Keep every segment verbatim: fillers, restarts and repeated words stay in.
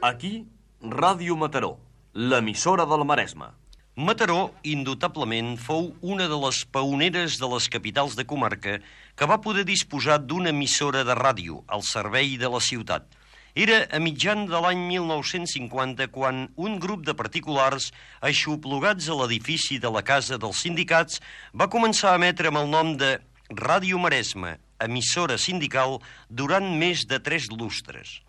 Aquí, Ràdio Mataró, l'emissora del Maresme. Mataró, indubtablement, fou una de les pioneres de les capitals de comarca que va poder disposar d'una emissora de ràdio al servei de la ciutat. Era a mitjan de l'any mil nou-cents cinquanta quan un grup de particulars aixoplugats a l'edifici de la Casa dels Sindicats va començar a emetre amb el nom de Ràdio Maresme, emissora sindical, durant més de tres lustres.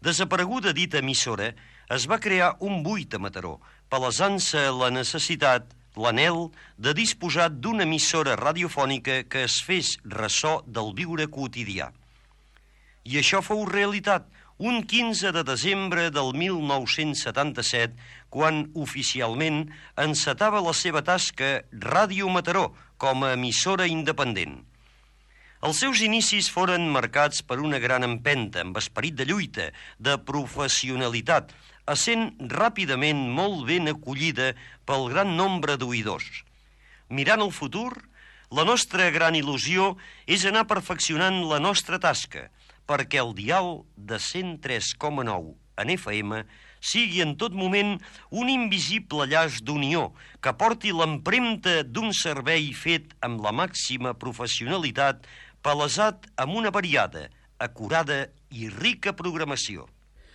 Desapareguda dita emissora, es va crear un buit a Mataró, palesant-se la necessitat, l'anhel, de disposar d'una emissora radiofònica que es fes ressò del viure quotidià. I això fou realitat un quinze de desembre del mil nou-cents setanta-set, quan oficialment encetava la seva tasca Ràdio Mataró com a emissora independent. Els seus inicis foren marcats per una gran empenta, amb esperit de lluita, de professionalitat, essent ràpidament molt ben acollida pel gran nombre d'oïdors. Mirant el futur, la nostra gran il·lusió és anar perfeccionant la nostra tasca, perquè el dial de cent tres coma nou en F M sigui en tot moment un invisible llaç d'unió que porti l'empremta d'un servei fet amb la màxima professionalitat, palesat amb una variada, acurada i rica programació.